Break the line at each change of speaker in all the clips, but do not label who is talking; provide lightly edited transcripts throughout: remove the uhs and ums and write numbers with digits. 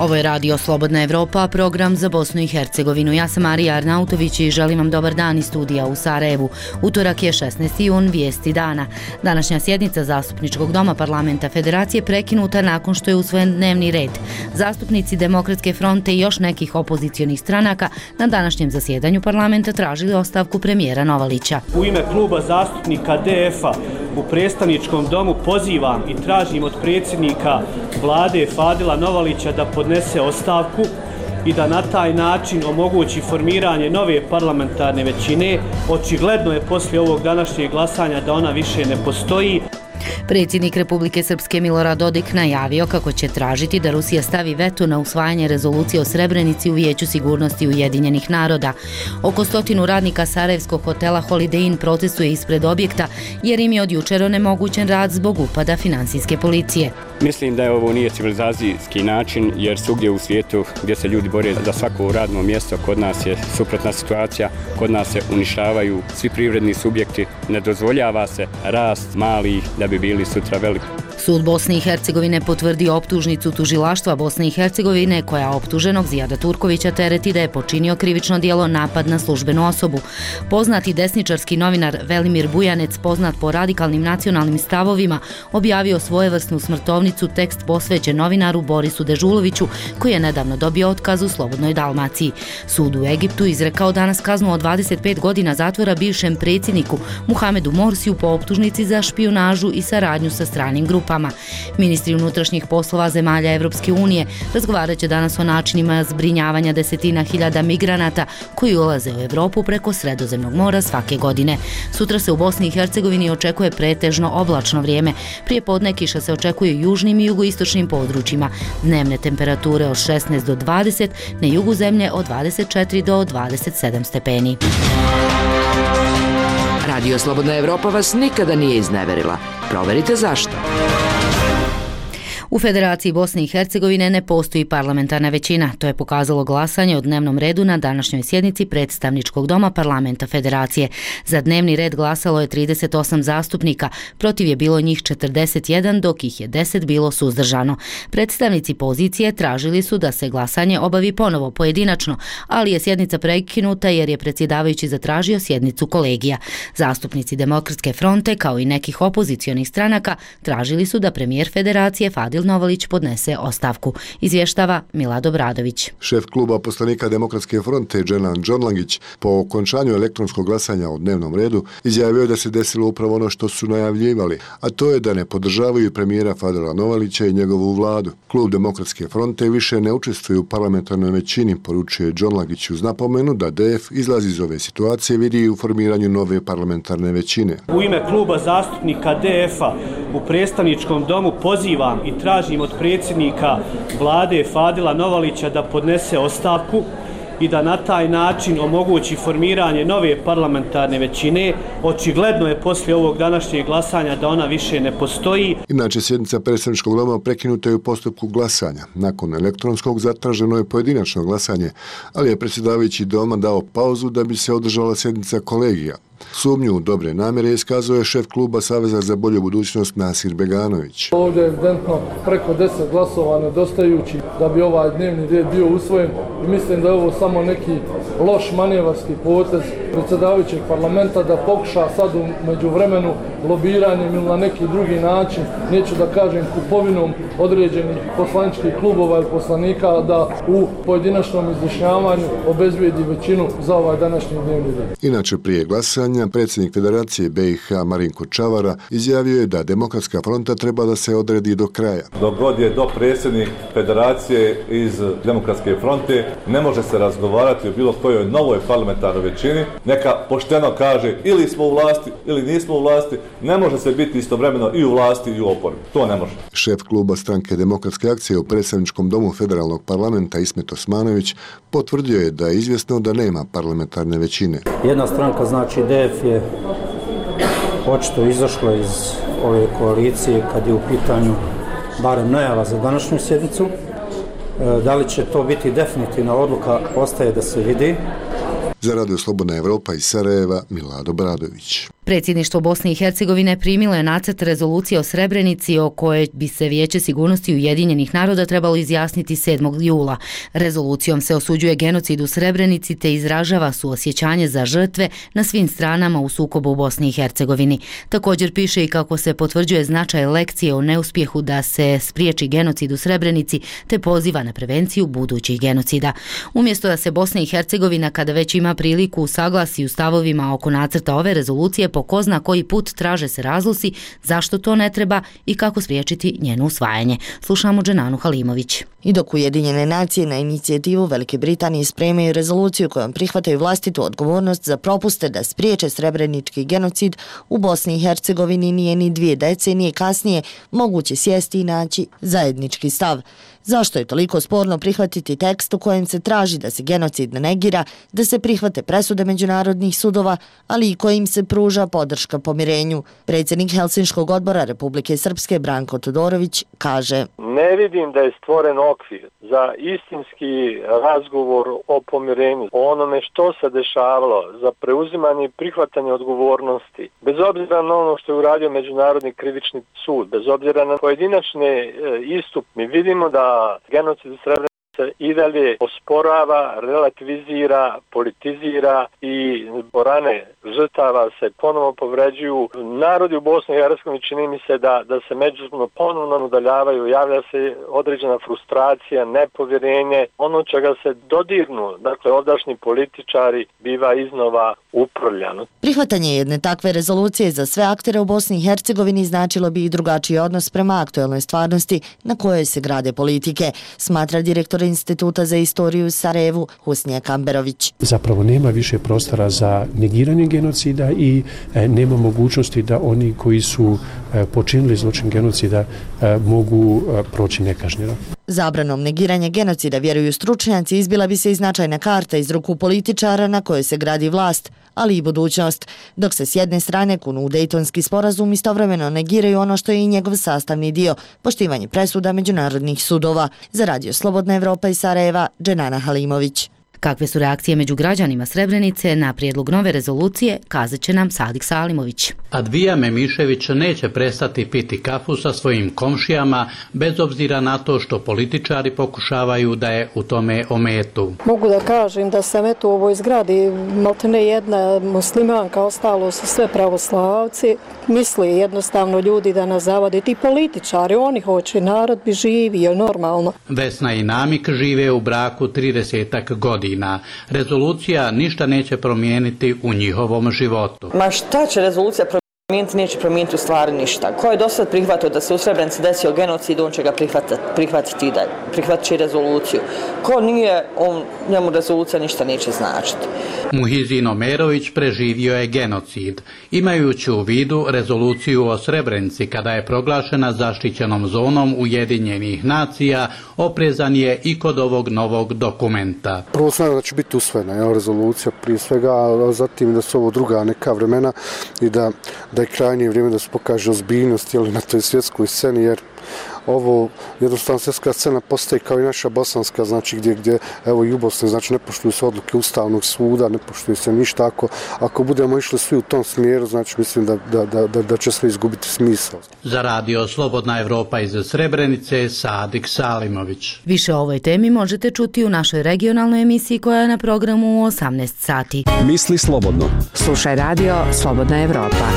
Ovo je Radio Slobodna Evropa, program za Bosnu i Hercegovinu. Ja sam Marija Arnautović i želim vam dobar dan iz studija u Sarajevu. Utorak je 16. jun, vijesti dana. Današnja sjednica Zastupničkog doma Parlamenta Federacije prekinuta nakon što je usvojen dnevni red. Zastupnici Demokratske fronte i još nekih opozicionih stranaka na današnjem zasjedanju parlamenta tražili ostavku premijera Novalića.
U ime kluba zastupnika DF-a u predstavničkom domu pozivam i tražim od predsjednika vlade Fadila Novalića da podnese ostavku i da na taj način omogući formiranje nove parlamentarne većine. Očigledno je poslije ovog današnjeg glasanja da ona više ne postoji.
Predsjednik Republike Srpske Milorad Dodik najavio kako će tražiti da Rusija stavi veto na usvajanje rezolucije o Srebrenici u Vijeću sigurnosti Ujedinjenih naroda. Oko 100 radnika sarajevskog hotela Holiday Inn protestuje ispred objekta jer im je od jučer onemogućen rad zbog upada finansijske policije.
Mislim da ovo nije civilizacijski način jer svugdje u svijetu gdje se ljudi bore za svako radno mjesto, kod nas je suprotna situacija, kod nas se uništavaju svi privredni subjekti, ne dozvoljava se rast malih da bi bili sutra veliki.
Sud Bosne i Hercegovine potvrdio optužnicu tužilaštva Bosne i Hercegovine koja optuženog Zijada Turkovića tereti da je počinio krivično djelo napad na službenu osobu. Poznati desničarski novinar Velimir Bujanec, poznat po radikalnim nacionalnim stavovima, objavio svojevrsnu smrtovnicu, tekst posvećen novinaru Borisu Dežuloviću koji je nedavno dobio otkaz u Slobodnoj Dalmaciji. Sud u Egiptu izrekao danas kaznu od 25 godina zatvora bivšem predsjedniku Muhamedu Morsiju po optužnici za špijunažu i saradnju sa stranim grupama. Ministri unutrašnjih poslova zemalja Evropske unije razgovarat će danas o načinima zbrinjavanja desetina hiljada migranata koji ulaze u Evropu preko Sredozemnog mora svake godine. Sutra se u Bosni i Hercegovini očekuje pretežno oblačno vrijeme. Prije podne kiša se očekuje u južnim i jugoistočnim područjima. Dnevne temperature od 16 do 20, na jugu zemlje od 24 do 27 stepeni.
Radio Slobodna Evropa vas nikada nije izneverila. Proverite zašto.
U Federaciji Bosne i Hercegovine ne postoji parlamentarna većina. To je pokazalo glasanje o dnevnom redu na današnjoj sjednici Predstavničkog doma Parlamenta Federacije. Za dnevni red glasalo je 38 zastupnika, protiv je bilo njih 41, dok ih je 10 bilo suzdržano. Predstavnici pozicije tražili su da se glasanje obavi ponovo pojedinačno, ali je sjednica prekinuta jer je predsjedavajući zatražio sjednicu kolegija. Zastupnici Demokratske fronte, kao i nekih opozicionih stranaka, tražili su da premijer Federacije Fadil Novalić podnese ostavku. Izvještava Milad Obradović.
Šef kluba poslanika Demokratske fronte Dženan Džonlangić po okončanju elektronskog glasanja o dnevnom redu izjavio da se desilo upravo ono što su najavljivali, a to je da ne podržavaju premijera Fadila Novalića i njegovu vladu. Klub Demokratske fronte više ne učestvuje u parlamentarnoj većini, poručuje Džonlangić uz napomenu da DF izlazi iz ove situacije vidi u formiranju nove parlamentarne većine.
U ime kluba zastupnika DF-a u predstavničkom domu pozivam i tražim od predsjednika vlade Fadila Novalića da podnese ostavku i da na taj način omogući formiranje nove parlamentarne većine. Očigledno je poslije ovog današnjeg glasanja da ona više ne postoji.
Inače, sjednica Predstavničkog doma prekinuta je u postupku glasanja. Nakon elektronskog zatraženo je pojedinačno glasanje, ali je predsjedavajući doma dao pauzu da bi se održala sjednica kolegija. Sumnju u dobre namjere iskazuje šef kluba Saveza za bolju budućnost Nasir Beganović.
Ovdje je evidentno preko 10 glasova nedostajući da bi ovaj dnevni red bio usvojen i mislim da je ovo samo neki loš manevarski potez predsjedavajućeg parlamenta da pokuša sad u međuvremenu lobiranjem ili na neki drugi način, neću da kažem kupovinom određenih poslaničkih klubova ili poslanika, da u pojedinačnom izjašnjavanju obezbijedi većinu za ovaj današnji dnevni red.
Inače, prije glasanja predsjednik Federacije BiH Marinko Čavara izjavio je da Demokratska fronta treba da se odredi do kraja.
Dok god je predsjednik Federacije iz Demokratske fronte, ne može se razgovarati o bilo kojoj novoj parlamentarnoj većini. Neka pošteno kaže ili smo u vlasti ili nismo u vlasti, ne može se biti istovremeno i u vlasti i u oporbi. To ne može.
Šef kluba stranke Demokratske akcije u Predstavničkom domu Federalnog parlamenta Ismet Osmanović potvrdio je da je izvjesno da nema parlamentarne većine.
Jedna stranka, znači DF, je očito izašla iz ove koalicije kad je u pitanju barem najava za današnju sjednicu. Da li će to biti definitivna odluka, ostaje da se vidi.
Za Radio Slobodna Evropa iz Sarajeva, Milad Obradović.
Predsjedništvo Bosne i Hercegovine primilo je nacrt rezolucije o Srebrenici o kojoj bi se Vijeće sigurnosti Ujedinjenih naroda trebalo izjasniti 7. jula. Rezolucijom se osuđuje genocid u Srebrenici te izražava suosjećanje za žrtve na svim stranama u sukobu u Bosni i Hercegovini. Također piše i kako se potvrđuje značaj lekcije o neuspjehu da se spriječi genocid u Srebrenici te poziva na prevenciju budućih genocida. Umjesto da se Bosna i Hercegovina, kada već ima priliku, usaglasi u stavovima oko nacrta ove rezolucije, po ko zna koji put traže se razlozi zašto to ne treba i kako spriječiti njeno usvajanje. Slušamo Dženanu Halimović.
I dok Ujedinjene nacije na inicijativu Velike Britanije spremaju rezoluciju kojom prihvataju vlastitu odgovornost za propuste da spriječe srebrenički genocid, u Bosni i Hercegovini nije ni 2 decenije kasnije moguće sjesti i naći zajednički stav. Zašto je toliko sporno prihvatiti tekst u kojem se traži da se genocid ne negira, da se prihvate presude međunarodnih sudova, ali i kojim se pruža podrška pomirenju? Predsjednik Helsinškog odbora Republike Srpske Branko Todorović kaže:
Ne vidim da je stvoren okvir za istinski razgovor o pomirenju, o onome što se dešavalo, za preuzimanje i prihvatanje odgovornosti. Bez obzira na ono što je uradio Međunarodni krivični sud, bez obzira na pojedinačne istup, mi vidimo da genocid u Srebrenici i dalje osporava, relativizira, politizira i rane žrtava se ponovo povređuju. Narodi u Bosni i Hercegovini čini mi se da se međusobno ponovno udaljavaju, javlja se određena frustracija, nepovjerenje, ono čega se dodirnu, dakle ovdašnji političari, biva iznova uprljano.
Prihvatanje jedne takve rezolucije za sve aktere u Bosni i Hercegovini značilo bi i drugačiji odnos prema aktuelnoj stvarnosti na kojoj se grade politike, smatra direktor Instituta za istoriju u Sarajevu Husnija Kamberović.
Zapravo nema više prostora za negiranje genocida i nema mogućnosti da oni koji su počinili zločin genocida mogu proći nekažnjeno.
Zabranom negiranja genocida, vjeruju stručnjaci, izbila bi se i značajna karta iz ruku političara na kojoj se gradi vlast, ali i budućnost, dok se s jedne strane kunu u Dejtonski sporazum, istovremeno negiraju ono što je i njegov sastavni dio, poštivanje presuda međunarodnih sudova. Za Radio Slobodna Evropa iz Sarajeva, Dženana Halimović.
Kakve su reakcije među građanima Srebrenice na prijedlog nove rezolucije, kazat će nam Sadik Salimović.
Advija Memišević neće prestati piti kafu sa svojim komšijama, bez obzira na to što političari pokušavaju da je u tome ometu.
Mogu da kažem da sam u ovoj zgradi maltene jedna muslimanka, ostalo su sve pravoslavci. Misli jednostavno ljudi da nas zavade, ti političari, oni hoće, narod bi živio normalno.
Vesna i Namik žive u braku 30 godina. Rezolucija ništa neće promijeniti u njihovom životu.
Ma šta će rezolucija promijeniti? Neće promijeniti u stvari ništa. Ko je do sad prihvatio da se u Srebrenici desio genocid, on će ga prihvatiti i dalje. Prihvatit će rezoluciju. Ko nije, njemu rezolucija ništa neće značiti.
Muhizin Omerović preživio je genocid. Imajući u vidu rezoluciju o Srebrenici kada je proglašena zaštićenom zonom Ujedinjenih nacija, oprezan je i kod ovog novog dokumenta.
Prvo znam da će biti usvojena rezolucija prije svega, a zatim da su ovo druga neka vremena i da je krajnje vrijeme da se pokaže ozbiljnost na toj svjetskoj sceni, jer ovo jednostavno svjetska scena postaje kao i naša bosanska, znači gdje evo i u Bosni, znači ne poštuju se odluke Ustavnog suda, ne poštuju se ništa. Ako budemo išli svi u tom smjeru, znači mislim da će sve izgubiti smisao.
Za Radio Slobodna Evropa iz Srebrenice, Sadik Salimović.
Više o ovoj temi možete čuti u našoj regionalnoj emisiji koja je na programu u 18 sati.
Misli slobodno.
Slušaj Radio Slobodna Evropa.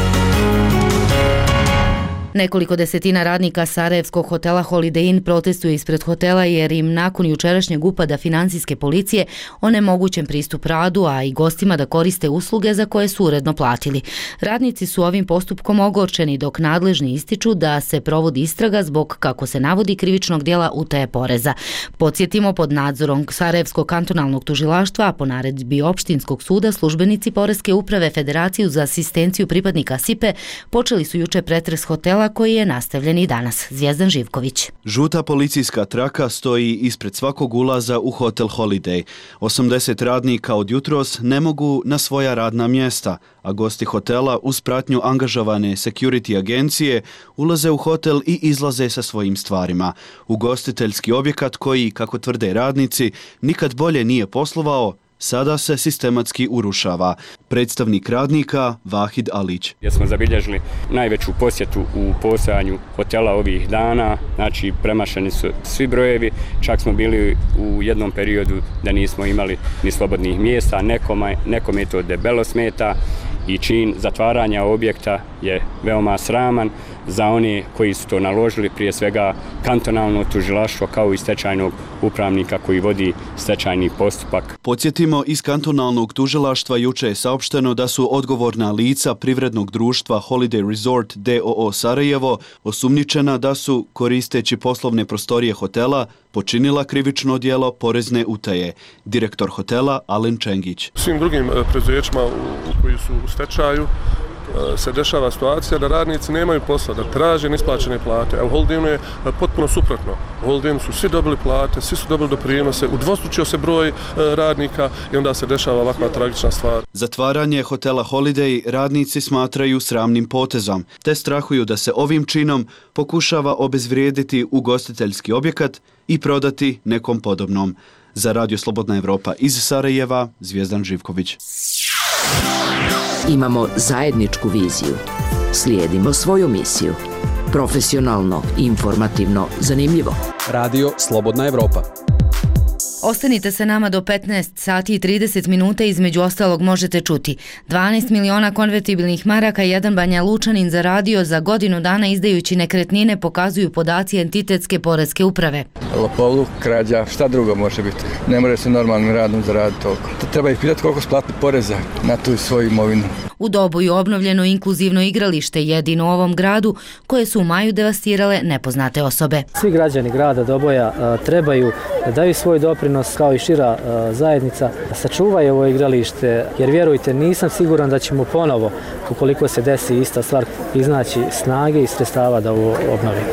Nekoliko desetina radnika sarajevskog hotela Holiday Inn protestuje ispred hotela jer im nakon jučerašnjeg upada financijske policije onemogućen pristup radu, a i gostima da koriste usluge za koje su uredno platili. Radnici su ovim postupkom ogorčeni dok nadležni ističu da se provodi istraga zbog, kako se navodi, krivičnog djela utaje poreza. Podsjetimo, pod nadzorom Sarajevskog kantonalnog tužilaštva, a po naredbi opštinskog suda, službenici Poreske uprave Federaciju za asistenciju pripadnika SIPE počeli su juče pretres hotela koji je nastavljen i danas. Zvijezdan Živković.
Žuta policijska traka stoji ispred svakog ulaza u hotel Holiday. 80 radnika od jutros ne mogu na svoja radna mjesta, a gosti hotela uz pratnju angažovane security agencije ulaze u hotel i izlaze sa svojim stvarima. Ugostiteljski objekat koji, kako tvrde radnici, nikad bolje nije poslovao, sada se sistematski urušava. predstavnik radnika Vahid Alić.
Gdje smo zabilježili najveću posjetu u postojanju hotela ovih dana, znači premašeni su svi brojevi, čak smo bili u jednom periodu da nismo imali ni slobodnih mjesta, nekome to debelo smeta i čin zatvaranja objekta je veoma sraman za one koji su to naložili, prije svega kantonalno tužilaštvo kao i stečajnog upravnika koji vodi stečajni postupak.
Podsjetimo, iz kantonalnog tužilaštva juče je saopšteno da su odgovorna lica privrednog društva Holiday Resort d.o.o. Sarajevo osumnjičena da su, koristeći poslovne prostorije hotela, počinila krivično djelo porezne utaje. Direktor hotela Alen Čengić.
Svim drugim preduzećima koji su u stečaju se dešava situacija da radnici nemaju posla, da traže neisplaćene plate, a u Holidaynu je potpuno suprotno. U Holidaynu su svi dobili plate, svi su dobili doprinose, udvostručio se broj radnika i onda se dešava ovakva tragična stvar.
Zatvaranje hotela Holiday radnici smatraju sramnim potezom, te strahuju da se ovim činom pokušava obezvrijediti ugostiteljski objekat i prodati nekom podobnom. Za Radio Slobodna Evropa iz Sarajeva, Zvijezdan Živković.
Imamo zajedničku viziju. Slijedimo svoju misiju. Profesionalno, informativno, zanimljivo.
Radio Slobodna Evropa.
Ostanite sa nama do 15 sati i 30 minuta, između ostalog možete čuti 12 miliona konvertibilnih maraka jedan Banja Lučanin zaradio za godinu dana izdajući nekretnine, pokazuju podaci entitetske poreske uprave.
Lopovluk, krađa, šta drugo može biti? Ne može se normalnim radom zaraditi toliko. Treba ih pitati koliko splati poreza na tu svoju imovinu.
U Doboju obnovljeno inkluzivno igralište, jedino u ovom gradu, koje su u maju devastirale nepoznate osobe.
Svi građani grada Doboja trebaju da daju svoj doprinos kao i šira zajednica, sačuvaju ovo igralište, jer vjerujte, nisam siguran da ćemo ponovo, ukoliko se desi ista stvar, iznaći snage i sredstava da ovo obnovimo.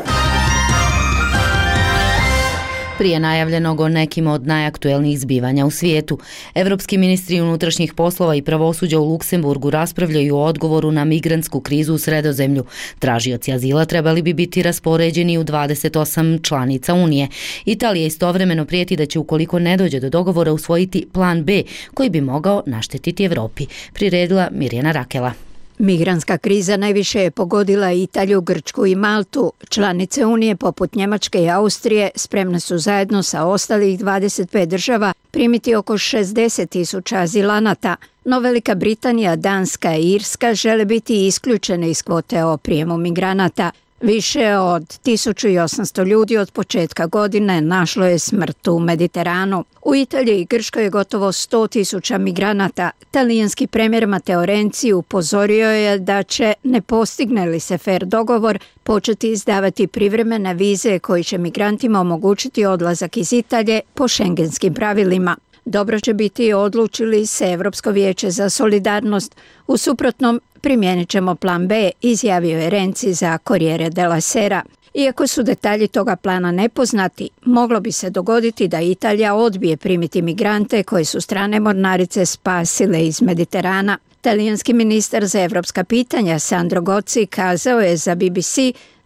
Prije najavljenog o nekim od najaktuelnijih zbivanja u svijetu, evropski ministri unutrašnjih poslova i pravosuđa u Luksemburgu raspravljaju o odgovoru na migrantsku krizu u Sredozemlju. Tražioci azila trebali bi biti raspoređeni u 28 članica Unije. Italija istovremeno prijeti da će, ukoliko ne dođe do dogovora, usvojiti plan B koji bi mogao naštetiti Evropi. Priredila Mirjana Rakela.
Migrantska kriza najviše je pogodila Italiju, Grčku i Maltu. Članice Unije poput Njemačke i Austrije spremne su zajedno sa ostalih 25 država primiti oko 60.000 azilanata, no Velika Britanija, Danska i Irska žele biti isključene iz kvote o prijemu migranata. Više od 1800 ljudi od početka godine našlo je smrt u Mediteranu. U Italiji i Grčkoj je gotovo 100.000 migranata. Talijanski premijer Matteo Renzi upozorio je da će, ne postigne li se fer dogovor, početi izdavati privremene vize koji će migrantima omogućiti odlazak iz Italije po šengenskim pravilima. Dobro će biti odlučili se Europsko vijeće za solidarnost. U suprotnom, primijenit ćemo plan B, izjavio je Renzi za Corriere della Sera. Iako su detalji toga plana nepoznati, moglo bi se dogoditi da Italija odbije primiti migrante koje su strane mornarice spasile iz Mediterana. Talijanski ministar za evropska pitanja Sandro Gozi kazao je za BBC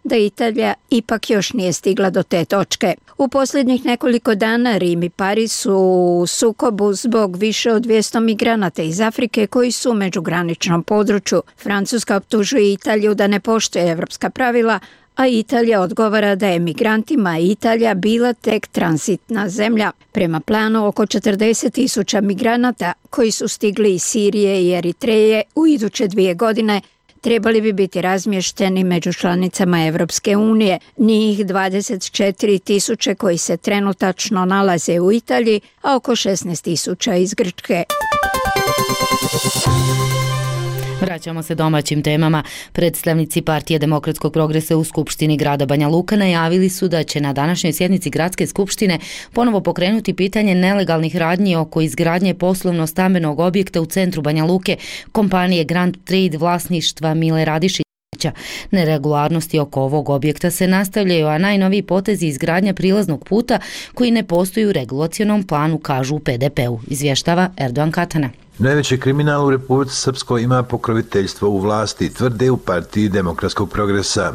da Italija ipak još nije stigla do te točke. U posljednjih nekoliko dana Rim i Pariz su u sukobu zbog više od 200 migranata iz Afrike koji su u međugraničnom području. Francuska optužuje Italiju da ne poštuje evropska pravila, a Italija odgovara da je migrantima Italija bila tek tranzitna zemlja. Prema planu, oko 40.000 migranata koji su stigli iz Sirije i Eritreje u iduće 2 godine trebali bi biti razmješteni među članicama Evropske unije. Njih 24.000 koji se trenutačno nalaze u Italiji, a oko 16.000 iz Grčke.
Vraćamo se domaćim temama. Predstavnici Partije demokratskog progresa u Skupštini grada Banja Luka najavili su da će na današnjoj sjednici gradske skupštine ponovo pokrenuti pitanje nelegalnih radnji oko izgradnje poslovno-stambenog objekta u centru Banja Luke kompanije Grand Trade vlasništva Mile Radišića. Neregularnosti oko ovog objekta se nastavljaju, a najnoviji potezi izgradnja prilaznog puta koji ne postoji u regulacionom planu, kažu u PDP-u, izvještava Erdogan Katana.
Najveći kriminal u Republici Srpskoj ima pokroviteljstvo u vlasti, tvrde u Partiji demokratskog progresa.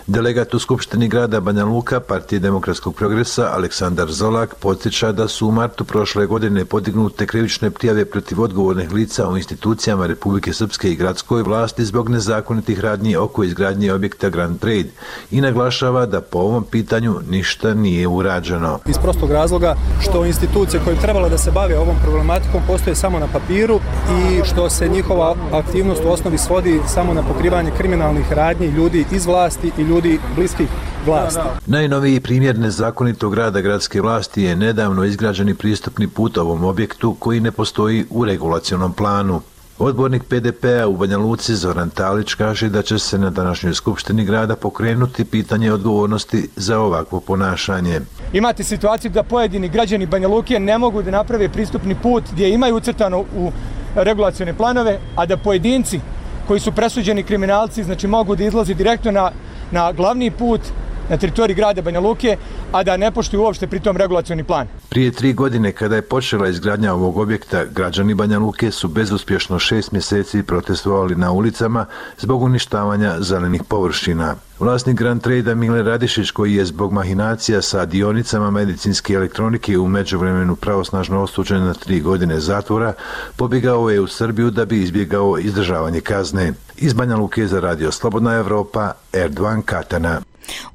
Delegat u Skupštini grada Banja Luka Partije demokratskog progresa Aleksandar Zolak podsjeća da su u martu prošle godine podignute krivične prijave protiv odgovornih lica u institucijama Republike Srpske i gradskoj vlasti zbog nezakonitih radnji oko izgradnje objekta Grand Trade i naglašava da po ovom pitanju ništa nije urađeno.
Iz prostog razloga što institucije koje trebalo da se bave ovom problematikom postoje samo na papiru i što se njihova aktivnost u osnovi svodi samo na pokrivanje kriminalnih radnji ljudi iz vlasti i ljudi bliskih vlasti.
Najnoviji primjer nezakonitog rada gradske vlasti je nedavno izgrađeni pristupni put ovom objektu koji ne postoji u regulacionom planu. Odbornik PDP-a u Banja Luci Zoran Talić kaže da će se na današnjoj skupštini grada pokrenuti pitanje odgovornosti za ovakvo ponašanje.
Imate situaciju da pojedini građani Banja Luke ne mogu da naprave pristupni put gdje imaju ucrtano u regulacione planove, a da pojedinci koji su presuđeni kriminalci znači mogu da izlazi direktno na glavni put na teritoriji grada Banja Luke, a da ne poštuju uopšte pritom regulacioni plan.
Prije 3 godine kada je počela izgradnja ovog objekta, građani Banja Luke su bezuspješno 6 mjeseci protestovali na ulicama zbog uništavanja zelenih površina. Vlasnik Grand Trade-a Mile Radišić, koji je zbog mahinacija sa dionicama medicinske elektronike u međuvremenu pravosnažno osuđen na 3 godine zatvora, pobjegao je u Srbiju da bi izbjegao izdržavanje kazne. Iz Banja Luke za Radio Slobodna Evropa, Erdovan Katana.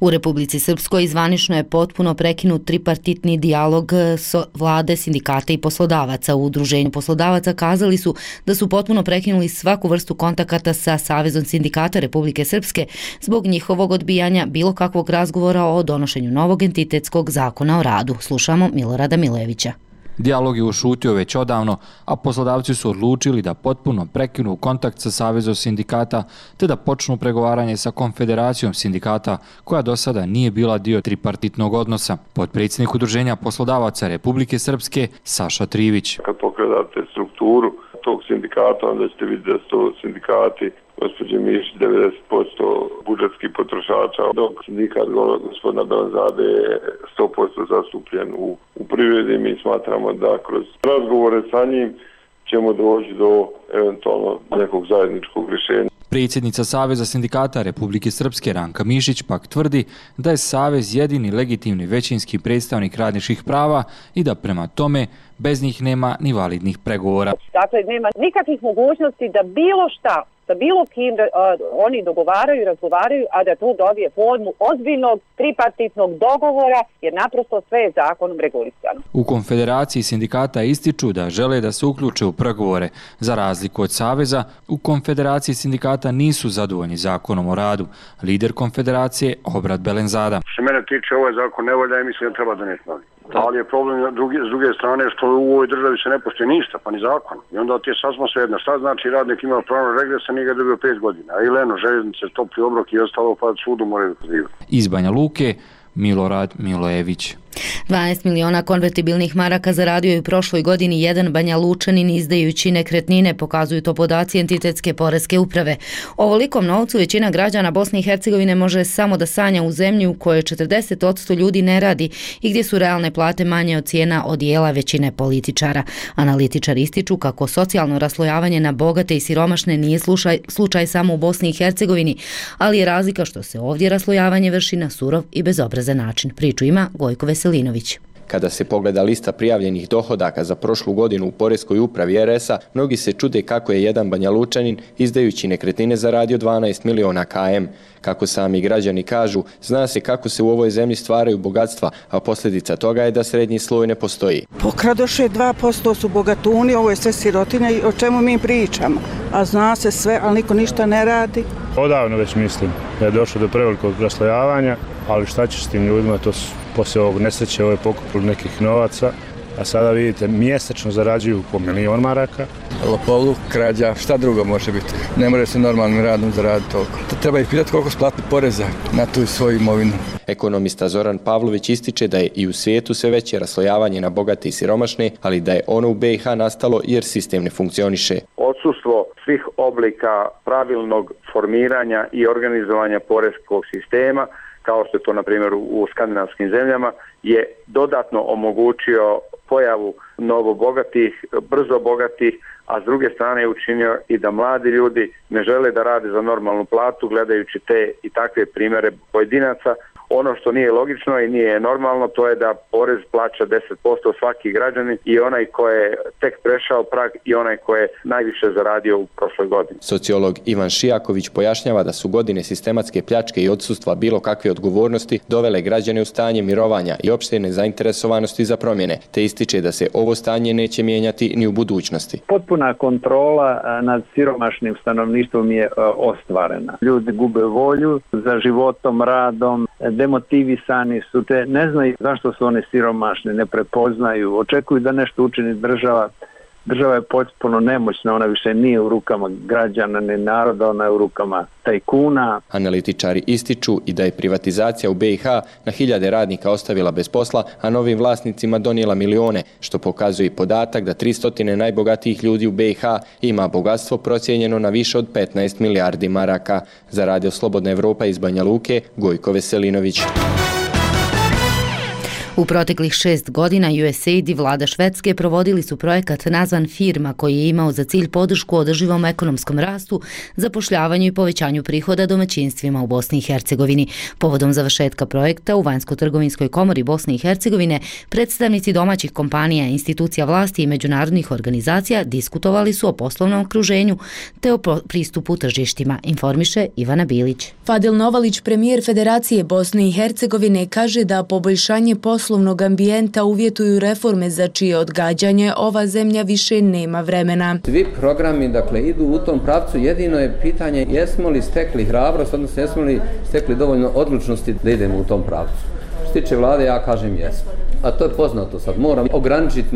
U Republici Srpskoj zvanično je potpuno prekinut tripartitni dijalog vlade, sindikata i poslodavaca. U Udruženju poslodavaca kazali su da su potpuno prekinuli svaku vrstu kontakata sa Savezom sindikata Republike Srpske zbog njihovog odbijanja bilo kakvog razgovora o donošenju novog entitetskog zakona o radu. Slušamo Milorada Milevića.
Dijalog je ušutio već odavno, a poslodavci su odlučili da potpuno prekinu kontakt sa Savezom sindikata te da počnu pregovaranje sa Konfederacijom sindikata, koja do sada nije bila dio tripartitnog odnosa. Potpredsjednik Udruženja poslodavaca Republike Srpske Saša Trivić.
Kad pogledate strukturu tog sindikata, onda ćete vidjeti da su to sindikati gospođe Mišić 90% budžetskih potrošača, dok sindikat gospodina Belanzade je 100% zastupljen u privredi. Mi smatramo da kroz razgovore sa njim ćemo doći do eventualno nekog zajedničkog rješenja.
Predsjednica Saveza sindikata Republike Srpske Ranka Mišić pak tvrdi da je Savez jedini legitimni većinski predstavnik radničkih prava i da prema tome bez njih nema ni validnih pregovora.
Dakle, nema nikakvih mogućnosti da bilo šta sa bilo kim oni dogovaraju i razgovaraju, a da tu dobije formu ozbiljnog tripartitnog dogovora, jer naprosto sve je zakonom regulisano.
U Konfederaciji sindikata ističu da žele da se uključe u pregovore. Za razliku od Saveza, u Konfederaciji sindikata nisu zadovoljni zakonom o radu. Lider Konfederacije Obrad Belenzada.
Što mene tiče, ovaj zakon ne valja i mislim da treba doneti novi. Ali je problem s druge strane što u ovoj državi se ne postoji ništa, pa ni zakon. I onda ti je sasvim svejedno. Šta znači radnik ima pravo regresa, nije ga dobio 5 godina. A ili željeznice, topli obrok i ostalo, pa sudu moraju pozivati.
Iz Banja Luke, Milorad Milojević.
12 miliona konvertibilnih maraka zaradio je u prošloj godini jedan Banja Lučanin izdajući nekretnine, pokazuju to podaci entitetske poreske uprave. Ovolikom novcu većina građana Bosne i Hercegovine može samo da sanja u zemlji u kojoj 40% ljudi ne radi i gdje su realne plate manje od cijena odijela većine političara. Analitičari ističu kako socijalno raslojavanje na bogate i siromašne nije slučaj samo u Bosni i Hercegovini, ali je razlika što se ovdje raslojavanje vrši na surov i bezobrazan način. Priču ima Gojko Veselinović.
Kada se pogleda lista prijavljenih dohodaka za prošlu godinu u poreskoj upravi RS-a, mnogi se čude kako je jedan Banja Lučanin izdajući nekretnine zaradio 12 miliona km. Kako sami građani kažu, zna se kako se u ovoj zemlji stvaraju bogatstva, a posljedica toga je da srednji sloj ne postoji.
Pokradoše 2% su bogatuni, ovo je sve sirotinja i o čemu mi pričamo. A zna se sve, ali niko ništa ne radi.
Odavno već mislim da je došlo do prevelikog raslojavanja, ali šta će s tim ljudima, to su poslije ovog nesreće, ovo je pokupili nekih novaca, a sada vidite, mjesečno zarađuju po 1 milion maraka.
Lopovluk, krađa, šta drugo može biti? Ne može se normalnim radom zaraditi toliko. Treba ih pitati koliko splati poreza na tu svoju imovinu.
Ekonomista Zoran Pavlović ističe da je i u svijetu sve veće raslojavanje na bogate i siromašne, ali da je ono u BiH nastalo jer sistem ne funkcioniše.
Odsustvo svih oblika pravilnog formiranja i organizovanja poreskog sistema, kao što je to na primjer u skandinavskim zemljama, je dodatno omogućio pojavu novobogatih, brzo bogatih,
a s druge strane je učinio i da mladi ljudi ne žele da rade za normalnu platu gledajući te i takve primjere pojedinaca. Ono što nije logično i nije normalno, to je da porez plaća 10% svaki građanin, i onaj ko je tek prešao prag i onaj ko je najviše zaradio u prošloj godini.
Sociolog Ivan Šijaković pojašnjava da su godine sistematske pljačke i odsustva bilo kakve odgovornosti dovele građane u stanje mirovanja i opšte nezainteresovanosti za promjene, te ističe da se ovo stanje neće mijenjati ni u budućnosti.
Potpuna kontrola nad siromašnim stanovništvom je ostvarena. Ljudi gube volju za životom, radom, demotivisani su, te ne znaju zašto su oni siromašni, ne prepoznaju, očekuju da nešto učini država. Država je potpuno nemoćna, ona više nije u rukama građana ni naroda, ona je u rukama tajkuna.
Analitičari ističu i da je privatizacija u BiH na hiljade radnika ostavila bez posla, a novim vlasnicima donijela milione, što pokazuje podatak da 300 najbogatijih ljudi u BiH ima bogatstvo procijenjeno na više od 15 milijardi maraka. Za Radio Slobodna Evropa iz Banja Luke, Gojko Veselinović.
U proteklih 6 godina USAID i vlada Švedske provodili su projekat nazvan Firma, koji je imao za cilj podršku održivom ekonomskom rastu, zapošljavanju i povećanju prihoda domaćinstvima u Bosni i Hercegovini. Povodom završetka projekta u Vanjsko-trgovinskoj komori Bosne i Hercegovine predstavnici domaćih kompanija, institucija vlasti i međunarodnih organizacija diskutovali su o poslovnom okruženju te o pristupu tržištima, informiše Ivana Bilić.
Fadil Novalić, premijer Federacije Bosne i Hercegovine, kaže da poboljšanje poslovnog ambijenta uvjetuju reforme za čije odgađanje ova zemlja više nema vremena.
Svi programi idu u tom pravcu, jedino je pitanje jesmo li stekli hrabrost, odnosno jesmo li stekli dovoljno odlučnosti da idemo u tom pravcu. Što se tiče vlade, ja kažem jesmo. A to je poznato sad. Moramo ograničiti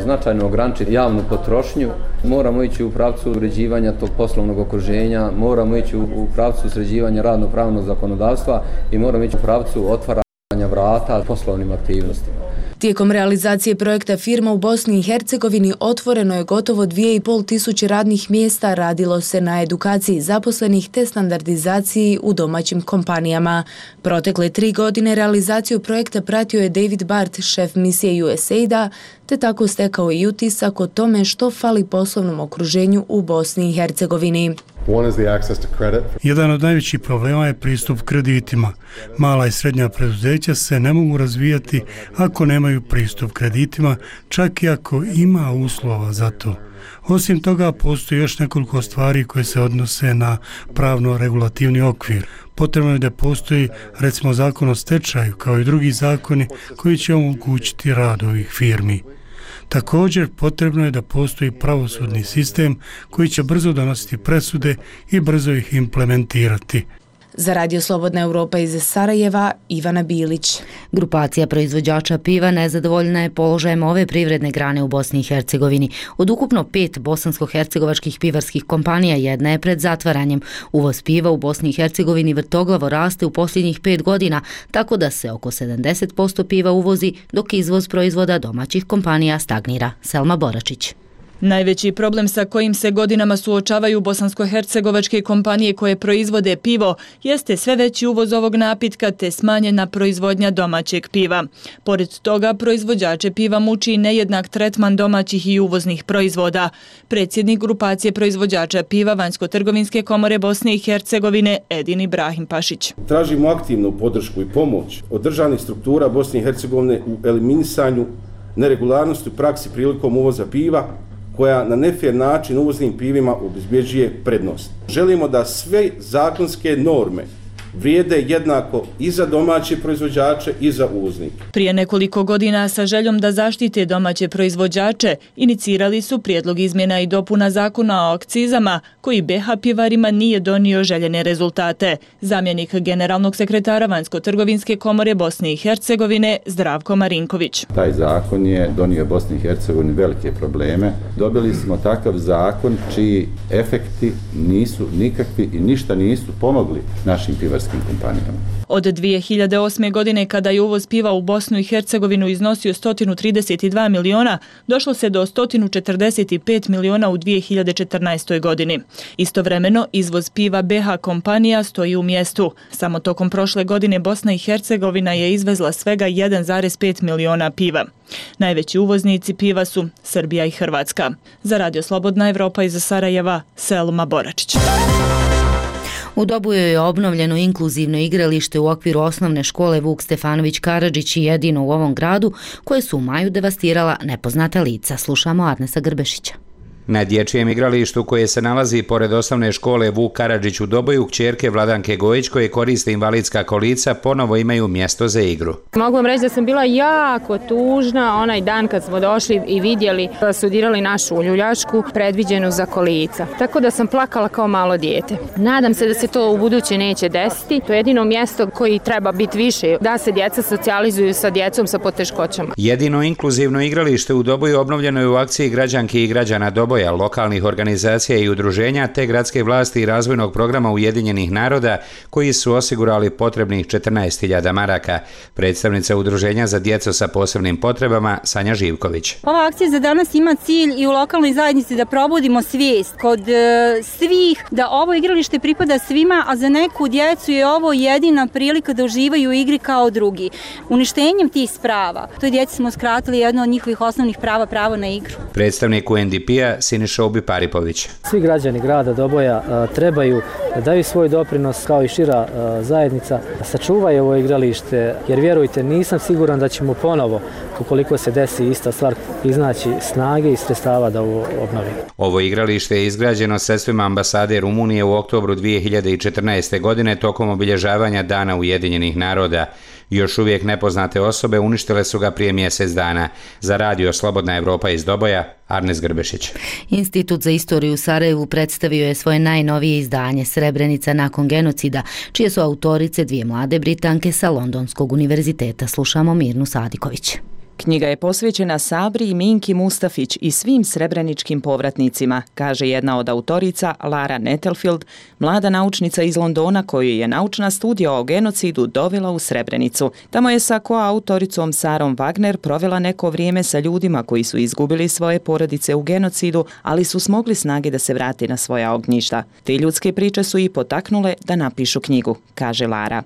značajno ograničiti javnu potrošnju, moramo ići u pravcu uređivanja tog poslovnog okruženja, moramo ići u pravcu sređivanja radno-pravnog zakonodavstva i moramo ići u pravcu otvaranja vrata poslovnim aktivnostima.
Tijekom realizacije projekta Firma u Bosni i Hercegovini otvoreno je gotovo 2500 radnih mjesta, radilo se na edukaciji zaposlenih te standardizaciji u domaćim kompanijama. Protekle 3 godine realizaciju projekta pratio je David Bart, šef misije USAID-a, te tako stekao i utisak o tome što fali poslovnom okruženju u Bosni i Hercegovini.
Jedan od najvećih problema je pristup kreditima. Mala i srednja preduzeća se ne mogu razvijati ako nemaju pristup kreditima, čak i ako ima uslova za to. Osim toga, postoji još nekoliko stvari koje se odnose na pravno-regulativni okvir. Potrebno je da postoji, recimo, zakon o stečaju, kao i drugi zakoni koji će omogućiti rad ovih firmi. Također, potrebno je da postoji pravosudni sistem koji će brzo donositi presude i brzo ih implementirati.
Za Radio Slobodna Evropa iz Sarajeva, Ivana Bilić.
Grupacija proizvođača piva nezadovoljna je položajem ove privredne grane u Bosni i Hercegovini. Od ukupno 5 bosansko-hercegovačkih pivarskih kompanija jedna je pred zatvaranjem. Uvoz piva u Bosni i Hercegovini vrtoglavo raste u posljednjih 5 godina, tako da se oko 70% piva uvozi, dok izvoz proizvoda domaćih kompanija stagnira. Selma Boračić.
Najveći problem sa kojim se godinama suočavaju bosansko-hercegovačke kompanije koje proizvode pivo jeste sve veći uvoz ovog napitka te smanjena proizvodnja domaćeg piva. Pored toga, proizvođače piva muči nejednak tretman domaćih i uvoznih proizvoda. Predsjednik grupacije proizvođača piva Vanjsko-trgovinske komore Bosne i Hercegovine Edin Ibrahim Pašić.
Tražimo aktivnu podršku i pomoć od državnih struktura Bosne i Hercegovine u eliminisanju neregularnosti u praksi prilikom uvoza piva, koja na nefer način uvoznim pivima obezbjeđuje prednost. Želimo da sve zakonske norme vrijede jednako i za domaće proizvođače i za uvoznike.
Prije nekoliko godina sa željom da zaštite domaće proizvođače inicirali su prijedlog izmjena i dopuna zakona o akcizama koji BiH pivarima nije donio željene rezultate. Zamjenik generalnog sekretara Vanjsko-trgovinske komore Bosne i Hercegovine Zdravko Marinković.
Taj zakon je donio Bosni i Hercegovini velike probleme. Dobili smo takav zakon čiji efekti nisu nikakvi i ništa nisu pomogli našim pivarskim bugarskim kompanijama.
Od 2008. godine, kada je uvoz piva u Bosnu i Hercegovinu iznosio 132 miliona, došlo se do 145 miliona u 2014. godini. Istovremeno, izvoz piva BH kompanija stoji u mjestu. Samo tokom prošle godine Bosna i Hercegovina je izvezla svega 1,5 miliona piva. Najveći uvoznici piva su Srbija i Hrvatska. Za Radio Slobodna Evropa iz Sarajeva, Selma Boračić.
U Dobojoj je obnovljeno inkluzivno igralište u okviru osnovne škole Vuk Stefanović Karadžić i jedino u ovom gradu, koje su u maju devastirala nepoznata lica. Slušamo Arnesa Grbešića.
Na dječjem igralištu koje se nalazi pored osnovne škole Vuk Karadžić u Doboju, kćerke Vladanke Gojić koje koriste invalidska kolica ponovo imaju mjesto za igru.
Mogu vam reći da sam bila jako tužna onaj dan kad smo došli i vidjeli da su dirali našu uljuljašku predviđenu za kolica. Tako da sam plakala kao malo dijete. Nadam se da se to u buduće neće desiti. To je jedino mjesto koji treba biti više, da se djeca socijalizuju sa djecom sa poteškoćama.
Jedino inkluzivno igralište u Doboju obnovljeno je u akciji građanki i građana Doboja, lokalnih organizacija i udruženja te gradske vlasti i razvojnog programa Ujedinjenih naroda koji su osigurali potrebnih 14.000 maraka. Predstavnica udruženja za djecu sa posebnim potrebama Sanja Živković.
Ova akcija za danas ima cilj i u lokalnoj zajednici da probudimo svijest kod svih da ovo igralište pripada svima, a za neku djecu je ovo jedina prilika da uživaju u igri kao drugi. Uništenjem tih sprava, toj djeci smo skratili jedno od njihovih osnovnih prava, pravo na igru.
Predstavnik UNDP-a Siniša Paripović.
Svi građani grada Doboja trebaju da daju svoj doprinos kao i šira zajednica, da sačuvaju ovo igralište, jer vjerujte, nisam siguran da ćemo ponovo, ukoliko se desi ista stvar, iznaći snage i sredstava da ovo obnovimo.
Ovo igralište je izgrađeno sredstvima ambasade Rumunije u oktobru 2014. godine tokom obilježavanja Dana Ujedinjenih naroda. Još uvijek nepoznate osobe uništile su ga prije mjesec dana. Za Radio Slobodna Evropa iz Doboja, Arnes Grbešić.
Institut za istoriju u Sarajevu predstavio je svoje najnovije izdanje Srebrenica nakon genocida, čije su autorice dvije mlade Britanke sa Londonskog univerziteta. Slušamo Mirnu Sadiković.
Knjiga je posvećena Sabri i Minki Mustafić i svim srebreničkim povratnicima, kaže jedna od autorica Lara Nettelfield, mlada naučnica iz Londona koju je naučna studija o genocidu dovela u Srebrenicu. Tamo je sa koautoricom Sarom Wagner provela neko vrijeme sa ljudima koji su izgubili svoje porodice u genocidu, ali su smogli snage da se vrate na svoja ognjišta. Te ljudske priče su i potaknule da napišu knjigu, kaže Lara.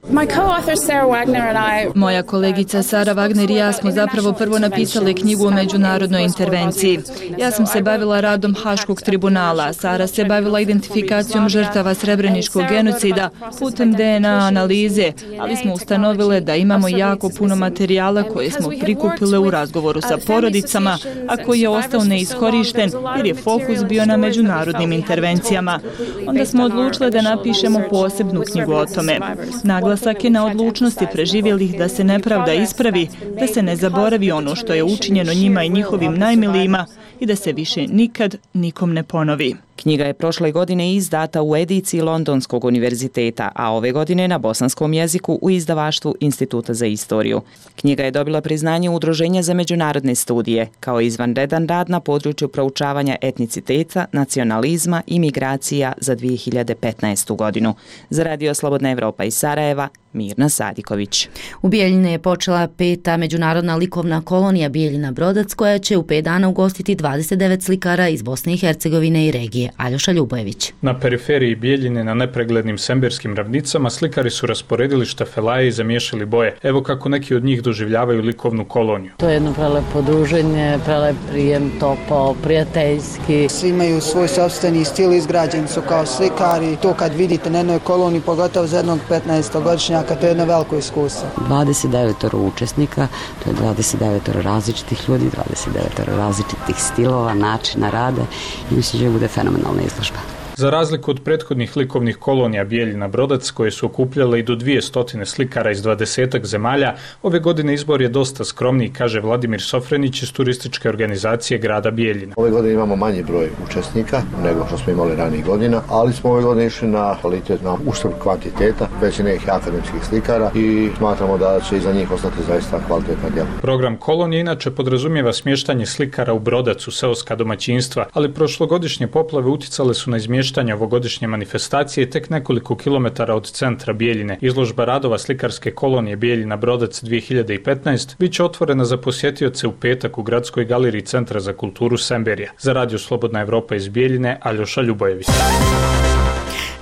Moja kolegica Sara Wagner i ja smo zapravo prvo napisale knjigu o međunarodnoj intervenciji. Ja sam se bavila radom Haškog tribunala, Sara se bavila identifikacijom žrtava srebreničkog genocida putem DNA analize, ali smo ustanovile da imamo jako puno materijala koje smo prikupile u razgovoru sa porodicama, a koji je ostao neiskorišten jer je fokus bio na međunarodnim intervencijama. Onda smo odlučile da napišemo posebnu knjigu o tome. Naglasak je na odlučnosti preživjelih da se nepravda ispravi, da se ne zaboravi ono što je učinjeno njima i njihovim najmilijima i da se više nikad nikom ne ponovi.
Knjiga je prošle godine izdata u ediciji Londonskog univerziteta, a ove godine na bosanskom jeziku u izdavaštvu Instituta za istoriju. Knjiga je dobila priznanje Udruženja za međunarodne studije, kao izvanredan rad na području proučavanja etniciteta, nacionalizma i migracija za 2015. godinu. Za Radio Slobodna Evropa iz Sarajeva, Mirna Sadiković.
U Bijeljini je počela 5. međunarodna likovna kolonija Bijeljina Brodac, koja će u 5 dana ugostiti 29 slikara iz Bosne i Hercegovine i regije. Aljoša Ljubojević.
Na periferiji Bijeljine, na nepreglednim semberskim ravnicama, slikari su rasporedili štafelaje i zamiješali boje. Evo kako neki od njih doživljavaju likovnu koloniju.
To je jedno prelepo druženje, prelep prijem, topao, prijateljski.
Svi imaju svoj sopstveni stil, izgrađeni su kao slikari. To kad vidite na jednoj koloniji, pogotovo za jednog 15-godišnjaka, to je jedno veliko iskustvo.
29 učesnika, to je 29 različitih ljudi, 29 različitih stilova, načina rada i mislim da je bude fenomenalna izložba.
Za razliku od prethodnih likovnih kolonija Bijeljina Brodac, koje su okupljale i do 200 slikara iz 20 zemalja, ove godine izbor je dosta skromniji, kaže Vladimir Sofrenić iz turističke organizacije grada Bijeljina.
Ove godine imamo manji broj učesnika nego što smo imali ranijih godina, ali smo ove godine išli na kvalitet, na uštrb kvantiteta, već nekih akademskih slikara i smatramo da će iza njih ostati zaista kvalitetna djela.
Program kolonije inače podrazumijeva smještanje slikara u Brodac u seoska domaćinstva, ali prošlogodišnje poplave uticale su na izmještanje namještanja ovogodišnje manifestacije tek nekoliko kilometara od centra Bijeljine. Izložba radova slikarske kolonije Bijeljina Brodac 2015 bit će otvorena za posjetioce u petak u Gradskoj galeriji Centra za kulturu Semberija. Za Radio Slobodna Evropa iz Bijeljine, Aljoša Ljubojević.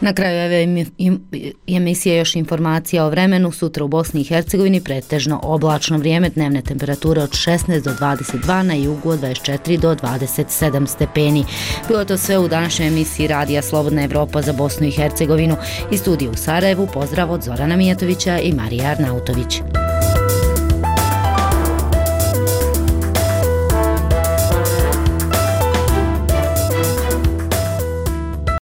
Na kraju ove emisije još informacija o vremenu. Sutra u Bosni i Hercegovini pretežno oblačno vrijeme, dnevne temperature od 16 do 22, na jugu od 24 do 27 stepeni. Bilo to sve u današnjoj emisiji Radija Slobodna Evropa za Bosnu i Hercegovinu. Iz studija u Sarajevu pozdrav od Zorana Mijatovića i Marija Arnautović.